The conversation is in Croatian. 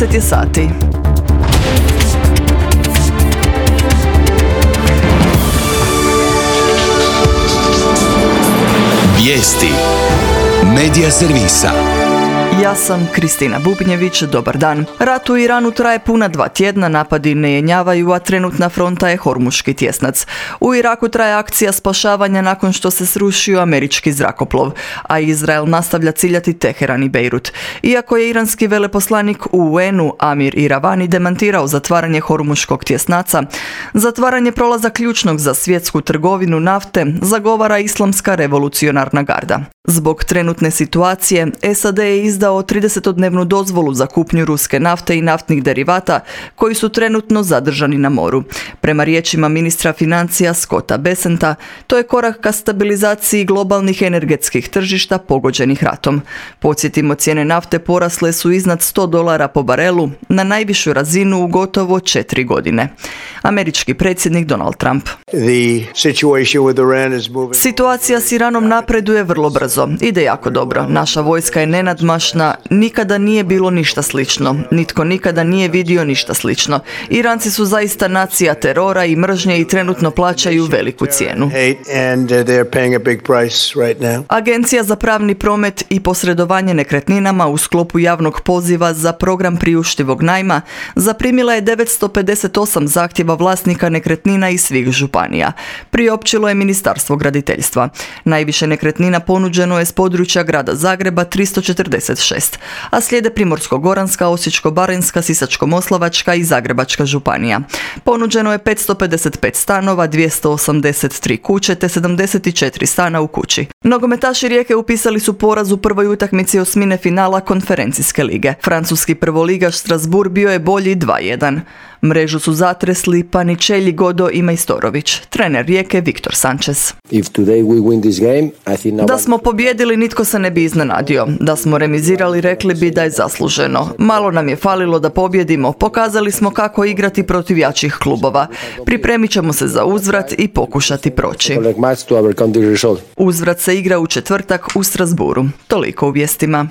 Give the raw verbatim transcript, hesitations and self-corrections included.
deset je sati. Vijesti Medija servisa. Ja sam Kristina Bubnjević, dobar dan. Rat u Iranu traje puna dva tjedna, napadi ne jenjavaju, a trenutna fronta je Hormuški tjesnac. U Iraku traje akcija spašavanja nakon što se srušio američki zrakoplov, a Izrael nastavlja ciljati Teheran i Bejrut. Iako je iranski veleposlanik u U N-u Amir Iravani demantirao zatvaranje Hormuškog tjesnaca, zatvaranje prolaza ključnog za svjetsku trgovinu nafte zagovara Islamska revolucionarna garda. Zbog trenutne situacije, S A D je izdao tridesetodnevnu dozvolu za kupnju ruske nafte i naftnih derivata koji su trenutno zadržani na moru. Prema riječima ministra financija Scotta Bessenta, to je korak ka stabilizaciji globalnih energetskih tržišta pogođenih ratom. Podsjetimo, cijene nafte porasle su iznad sto dolara po barelu na najvišu razinu u gotovo četiri godine. Američki predsjednik Donald Trump. Situacija s Iranom napreduje vrlo brzo. Ide jako dobro. Naša vojska je nenadmašna, nikada nije bilo ništa slično. Nitko nikada nije vidio ništa slično. Iranci su zaista nacija terora i mržnje i trenutno plaćaju veliku cijenu. Agencija za pravni promet i posredovanje nekretninama u sklopu javnog poziva za program priuštivog najma zaprimila je devetsto pedeset osam zahtjeva vlasnika nekretnina iz svih županija. Priopćilo je Ministarstvo graditeljstva. Najviše nekretnina ponuđeno je s područja grada Zagreba tristo četrdeset šest, a slijede Primorsko-goranska, Osječko-baranjska, Sisačko-moslavačka i Zagrebačka županija. Ponuđeno je petsto pedeset pet stanova, dvjesto osamdeset tri kuće te sedamdeset četiri stana u kući. Nogometaši Rijeke upisali su poraz u prvoj utakmici osmine finala konferencijske lige. Francuski prvoligaš Strasbourg bio je bolji dva jedan. Mrežu su zatresli Paničelji, Godo i Majstorović. Trener Rijeke Viktor Sanchez. Da smo pobjedili, nitko se ne bi iznenadio. Da smo remizirali, rekli bi da je zasluženo. Malo nam je falilo da pobjedimo. Pokazali smo kako igrati protiv jačih klubova. Pripremit ćemo se za uzvrat i pokušati proći. Uzvrat se igra u četvrtak u Strasbourgu. Toliko u vijestima.